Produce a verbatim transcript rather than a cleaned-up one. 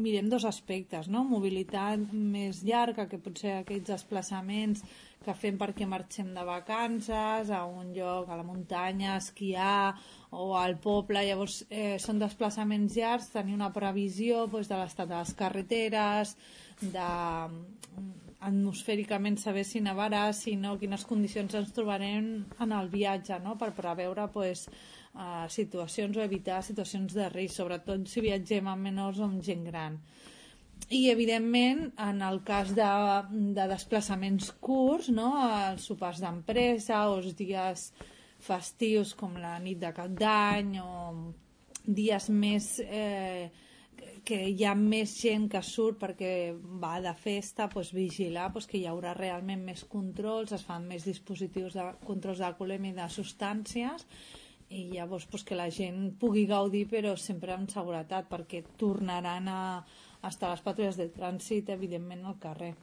mirem dos aspectes, no? Mobilitat més llarga, que potser aquells desplaçaments que fem perquè marxem de vacances a un lloc, a la muntanya, a esquiar o al poble, llavors eh, són desplaçaments llargs, tenir una previsió doncs, de l'estat de les carreteres, de atmosfèricament saber si nevarà, si no, quines condicions ens trobarem en el viatge, no? Per preveure pues, uh, situacions o evitar situacions de risc, sobretot si viatgem amb menors o amb gent gran. I evidentment en el cas de, de desplaçaments curts, no? Els sopars d'empresa o els dies festius com la nit de Cap d'Any o dies més eh, que hi ha més gent que surt perquè va de festa, doncs vigilar doncs que hi haurà realment més controls, es fan més dispositius de controls d'alcoholèmia i de substàncies i llavors doncs, que la gent pugui gaudir però sempre amb seguretat perquè tornaran a estar les patrulles de trànsit evidentment al carrer.